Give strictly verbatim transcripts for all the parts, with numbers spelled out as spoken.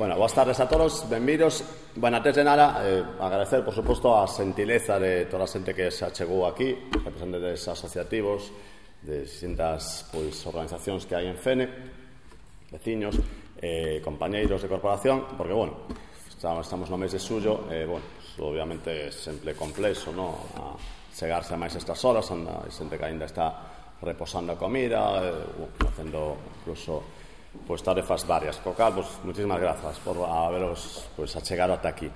Bueno, boas tardes a todos, benvidos. Bueno, antes de nada, eh, agradecer, por suposto, a xentileza de toda a xente que se achegou aquí, representantes asociativos de distintas pois, organizacións que hai en Fene, veciños, eh, compañeiros de corporación, porque, bueno, estamos no mes de suyo, e, eh, bueno, pues, obviamente é sempre complexo, no? A chegarse a máis estas horas, anda, hai xente que ainda está reposando a comida, eh, bueno, facendo incluso pois tarefas varias, co cal, pues, muchísimas grazas por haberos pues, achegado ata aquí.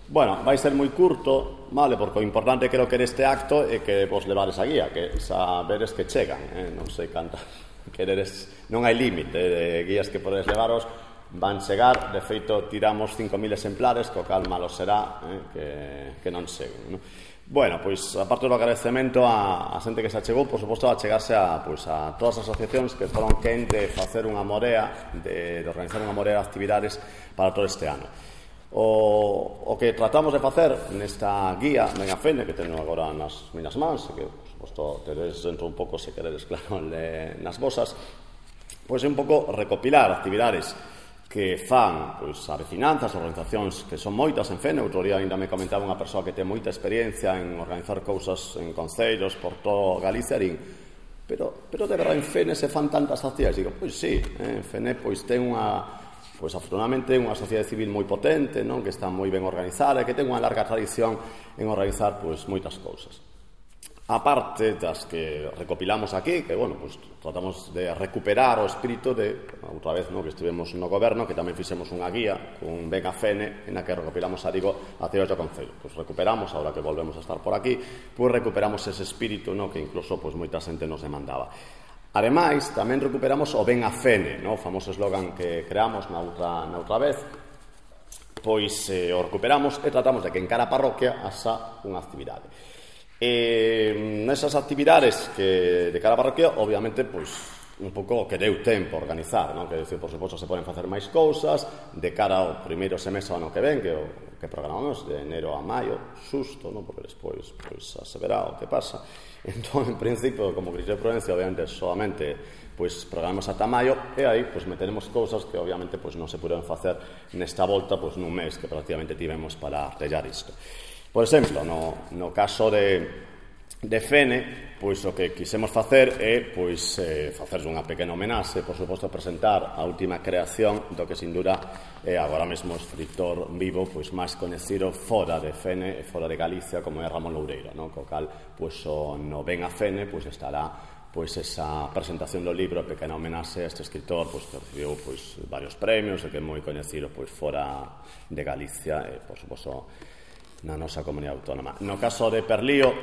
Bueno, vai ser moi curto, vale, porque o importante creo que deste acto é que vos levades a guía, que saberes que chegan, eh? non sei canta, queredes, non hai límite de guías que podedes levaros, van chegar, de feito tiramos cinco mil exemplares, co cal malo será eh, que, que non seguen, no? Bueno, pois, aparte do agradecemento a, a xente que se achegou, por suposto, a chegarse a, pois, a todas as asociacións que foron quen de facer unha morea, de, de organizar unha morea de actividades para todo este ano. O, o que tratamos de facer nesta guía Venga Fene, que teño agora nas minas mans, que, por suposto, teredes dentro un pouco, se queredes, claro, de, nas vosas, pois é un pouco recopilar actividades que fan pois, a vecinanzas, organizacións que son moitas en Fene. Outro día ainda me comentaba unha persoa que ten moita experiencia en organizar cousas en concellos por todo Galicia, din, pero, pero de verdade en Fene se fan tantas actividades. Digo, pois sí, eh, en Fene pois ten unha, pois afortunadamente unha sociedade civil moi potente, non? Que está moi ben organizada e que ten unha larga tradición en organizar pois moitas cousas. A parte das que recopilamos aquí, que, bueno, pues, tratamos de recuperar o espírito de, outra vez, no, que estivemos no goberno, que tamén fixemos unha guía con Venga Fene, en a que recopilamos, a digo, actividades do Concello. Pues recuperamos, ahora que volvemos a estar por aquí, pues recuperamos ese espírito, no, que incluso pues, moita xente nos demandaba. Ademais, tamén recuperamos o Venga Fene, no, o famoso eslogan que creamos na outra, na outra vez, pois eh, o recuperamos e tratamos de que en cada parroquia haxa unha actividade. E nesas actividades que de cada parroquia, obviamente, pois, un pouco que deu tempo a organizar, non? Que, decir, por suposto, se poden facer máis cousas de cara ao primeiro semestre ano que ven, que o que programamos de enero a maio, susto, non? Porque despois, pois, a se verá o que pasa. Entón, en principio, como criterio de prudencia, obviamente, solamente pois programamos ata maio e aí pois meteremos cousas que obviamente pois non se puderon facer nesta volta pois nun mes que prácticamente tivemos para artellar isto. Por exemplo, no, no caso de, de Fene, pois o que quisemos facer é pois, eh, facer unha pequena homenaxe, por suposto, presentar a última creación do que, sin dúda, é agora mesmo o escritor vivo pois, máis coñecido fora de Fene e fora de Galicia, como é Ramón Loureiro, non? Co cal, pois, o no Venga Fene pois, estará pois, esa presentación do libro, pequena homenaxe a este escritor pois, que recibiu pois, varios premios e que é moi coñecido pois, fora de Galicia e, por suposto, na nosa comunidade autónoma. No caso de Perlío,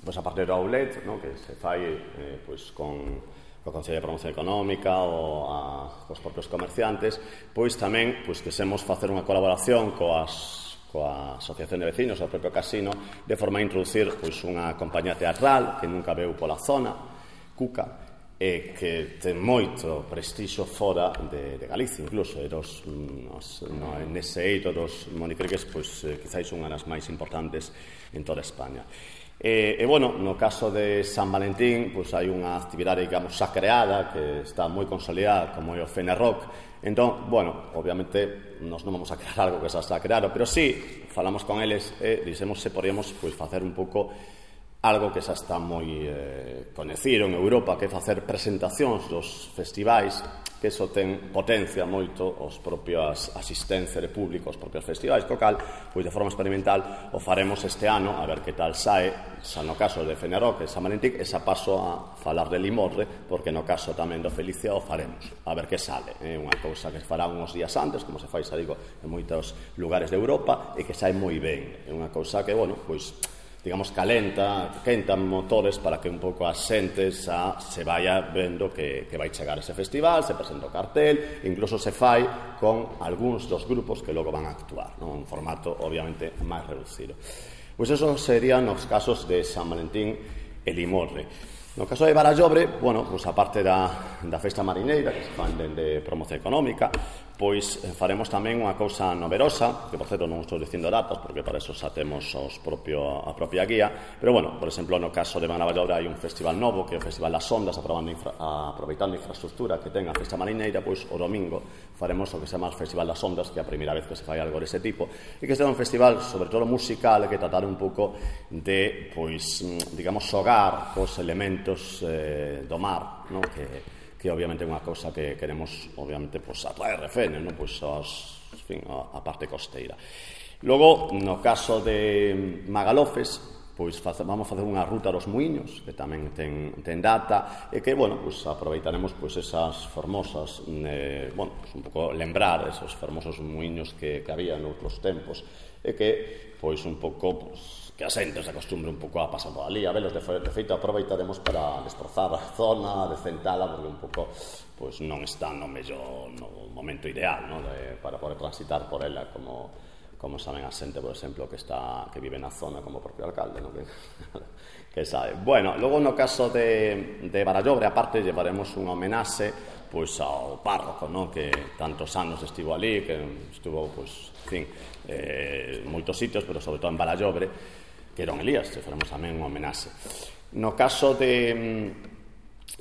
pois a partir do outlet, no, que se fai eh, pois con o Consello de Promoción Económica ou a, os propios comerciantes, pois tamén pois quisemos facer unha colaboración coas coa Asociación de Vecinos, o propio Casino, de forma a introducir pois unha compañía teatral que nunca veu pola zona, Cuca, e que ten moito prestixio fora de, de Galicia, incluso, e dos, nos, no, nese eito dos monicreques, pois, eh, quizáis unha das máis importantes en toda España. E, e, bueno, no caso de San Valentín, pois, hai unha actividade, digamos, xa creada, que está moi consolidada, como é o Fene Rock. Entón, bueno, obviamente, nos non vamos a crear algo que xa está creado, pero sí, falamos con eles e dixemos se podíamos, pois, facer un pouco algo que xa está moi eh, coñecido en Europa, que é facer presentacións dos festivais, que iso ten potencia moito os propios asistencia de público, os propios festivais, co cal, pois de forma experimental, o faremos este ano, a ver que tal sae, xa no caso de Fene Rock e San Valentín, e xa paso a falar de Limorre, porque no caso tamén do Felicia o faremos, a ver que sale. É unha cousa que fará uns días antes, como se fai, xa digo, en moitos lugares de Europa, e que sai moi ben. É unha cousa que, bueno, pois, digamos, calenta, quentan motores para que un pouco as xentes a, se vaya vendo que, que vai chegar ese festival, se presenta o cartel, incluso se fai con algúns dos grupos que logo van a actuar, non? Un formato, obviamente, máis reducido. Pois eso serían os casos de San Valentín e Limorre. No caso de Barallobre, bueno, pois aparte da, da festa marineira, que se fan dende Promoción Económica, pois faremos tamén unha cousa noverosa, que por certo non estou dicindo datas, porque para eso xa temos os propio, a propia guía, pero bueno, por exemplo, no caso de Navallaura hai un festival novo, que é o Festival das Ondas, infra, aproveitando a infraestructura que ten a Festa Marineira, pois o domingo faremos o que se chama o Festival das Ondas, que é a primeira vez que se fai algo dese tipo, e que será un festival, sobre todo musical, que tratar un pouco de, pois, digamos, xogar cos elementos eh, do mar, no? que que obviamente é unha cousa que queremos obviamente pois, atraer refenes, non? Pois, as, en fin, a, a parte costeira. Logo, no caso de Magalofes, pois face, vamos facer unha ruta dos muiños, que tamén ten, ten data, e que, bueno, pois aproveitaremos pois esas formosas, eh, bueno, pois un pouco lembrar esos fermosos muiños que, que había noutros tempos, e que, pois un pouco, pois, que a xente se acostumbre un pouco a pasar por ali, a velos, de, de feito aproveitaremos para destrozar a zona, decentala, porque un pouco pois non está no mellor no momento ideal, no? de, para poder transitar por ela, como, como saben a xente, por exemplo, que está que vive na zona, como o propio alcalde, no? que, que sabe. Bueno, logo no caso de, de Barallobre, aparte, llevaremos unha homenaxe pois ao párroco, no? Que tantos anos estivo ali, que estuvo, pois, en fin, eh, moitos sitios, pero sobre todo en Barallobre, que era un Elías, que faremos tamén unha homenaxe. No caso de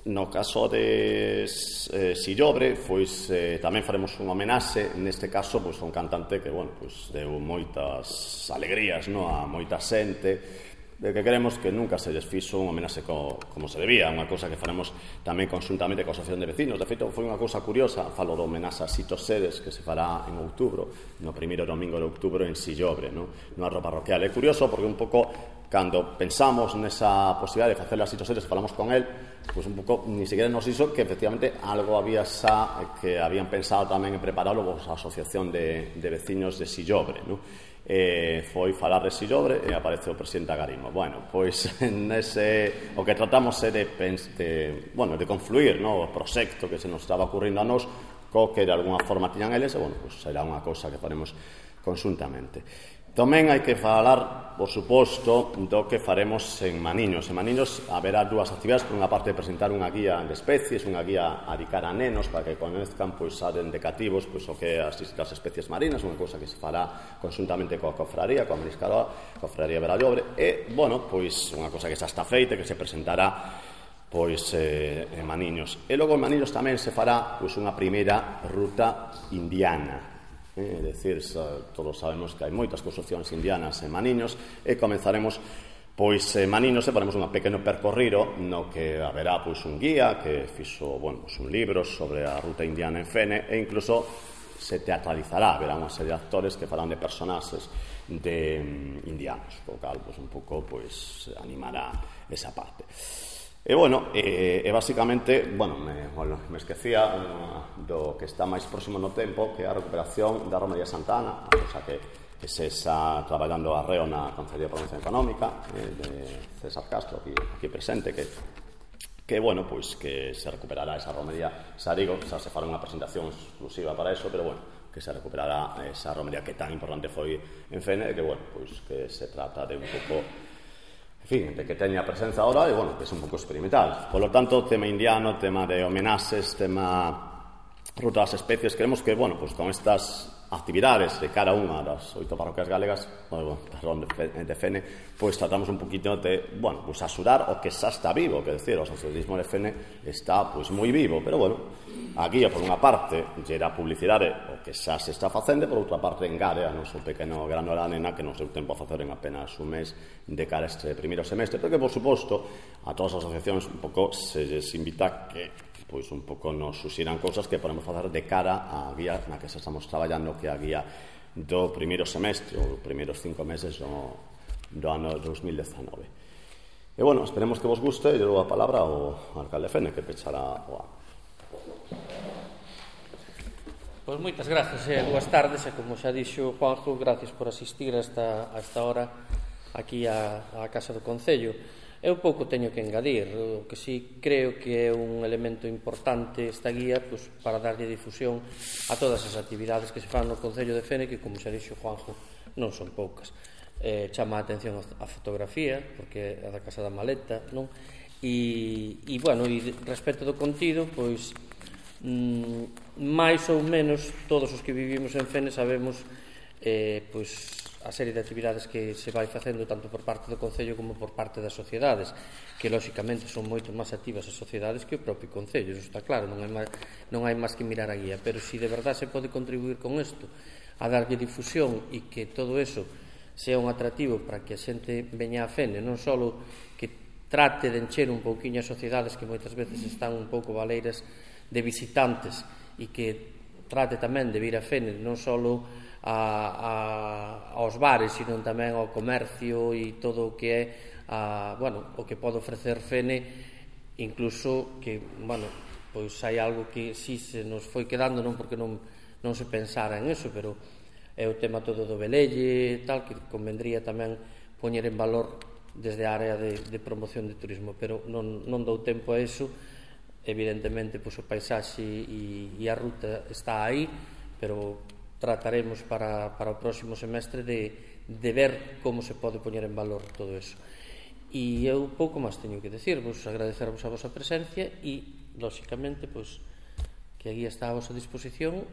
no caso de eh, Sillobre, pois eh, tamén faremos unha homenaxe, neste caso pois un cantante que, bueno, pois deu moitas alegrías, no, a moita xente, de que queremos que nunca se lles fixo unha homenaxe co, como se debía, unha cousa que faremos tamén conjuntamente coa Asociación de Vecinos. De feito, foi unha cousa curiosa, falo do homenaxe a Sito Sedes, que se fará en outubro, no primeiro domingo de outubro en Sillobre, no, no arro parroquial. É curioso porque un pouco, cando pensamos nesa posibilidade de facer a Sito Sedes, falamos con el, pois un pouco, ni siquiera nos hizo que efectivamente algo había xa que habían pensado tamén en prepararlo a Asociación de, de Vecinos de Sillobre, no? Eh, foi falar de Sillobre e aparece o presidente Agarimo. Bueno, pois nese, o que tratamos é de, de, bueno, de confluir, no, o proxecto que se nos estaba ocurrindo a nós co que de alguna forma tiñan eles, e bueno, pois será unha cousa que faremos conjuntamente. Tamén hai que falar, por suposto, do que faremos en Maniños. En Maniños haberá dúas actividades. Por unha parte, presentar unha guía de especies, unha guía a dedicar a nenos para que conozcan, pois, de cativos, pois, o que as distintas especies marinas, unha cousa que se fará conjuntamente coa cofraría, coa Mariscaroa, cofraría Barallobre, e, bueno, pois, unha cousa que xa está feita, que se presentará pois eh, en Maniños. E logo en Maniños tamén se fará pois unha primeira ruta indiana. É dicir, todos sabemos que hai moitas construccións indianas en Maniños, e comenzaremos pois en Maniños e faremos un pequeno percorrido no que haberá pois un guía que fixo, bueno, pois un libro sobre a ruta indiana en Fene, e incluso se teatralizará, haberá unha serie de actores que farán de personaxes de um, indianos, o cal pois un pouco pois animará esa parte. E, bueno, e, e basicamente, bueno, me, bueno, me esquecía uh, do que está máis próximo no tempo, que é a recuperación da Romería Santa Ana, a cosa que, que se está traballando arreo na Consellería de Promoción Económica, eh, de César Castro, aquí, aquí presente, que, que, bueno, pois que se recuperará esa romería. Xa digo, xa se fará unha presentación exclusiva para eso, pero, bueno, que se recuperará esa romería que tan importante foi en Fene, e que, bueno, pois que se trata de un pouco, en fin, de que teña presenza ahora e, bueno, que é un pouco experimental. Por lo tanto, tema indiano, tema de homenaxes, tema ruta das especies, queremos que, bueno, pues con estas actividades de cada unha das oito parroquias galegas, bueno, perdón, de Fene, pois tratamos un poquito de, bueno, pues axudar o que xa está vivo, que decir, o asociacionismo de Fene está, pois, moi vivo, pero, bueno, a guía, por unha parte, gera publicidade o que xa se está facendo, por outra parte, engade a noso pequeno grano de arena que non seu tempo a facer en apenas un mes de cara a este primeiro semestre, porque, por suposto, a todas as asociacións un pouco se les invita que pois un pouco nos suxiran cousas que podemos facer de cara á guía na que estamos traballando, que é a guía do primeiro semestre, ou primeiros cinco meses do, do ano dos mil dezanove. E, bueno, esperemos que vos guste, e dou a palabra ao alcalde Fene, que pechará o ano. Pois moitas gracias e boas tardes, e como xa dixo Juanjo, gracias por asistir a esta, a esta hora aquí á, á Casa do Concello. Eu pouco teño que engadir, o que sí creo que é un elemento importante esta guía, pois, para darlle difusión a todas as actividades que se fan no Concello de Fene, que, como xa dixo Juanjo, non son poucas. Eh, chama a atención a fotografía, porque é da Casa da Maleta, non? E, e bueno, e respecto do contido, pois, mm, máis ou menos todos os que vivimos en Fene sabemos eh, pois, a serie de actividades que se vai facendo tanto por parte do Concello como por parte das sociedades, que lóxicamente son moito máis activas as sociedades que o propio Concello, eso está claro, non hai máis, non hai máis que mirar a guía, pero se si de verdade se pode contribuir con isto a darlle difusión e que todo eso sea un atractivo para que a xente veña a Fene, non só que trate de encher un pouquiño as sociedades que moitas veces están un pouco valeiras de visitantes e que trate tamén de vir a Fene non só a, a, aos bares, sino tamén ao comercio e todo o que é a, bueno, o que pode ofrecer Fene, incluso que, bueno, pois hai algo que si se nos foi quedando, non porque non, non se pensara en eso, pero é o tema todo do velelle tal, que convendría tamén poñer en valor desde a área de, de promoción de turismo, pero non, non dou tempo a eso. Evidentemente, pois, o paisaxe e, e a ruta está aí, pero trataremos para, para o próximo semestre de, de ver como se pode poñer en valor todo eso. E eu pouco máis teño que decirvos, agradecervos a vosa presencia e, lóxicamente, pois, que a guía está a vosa disposición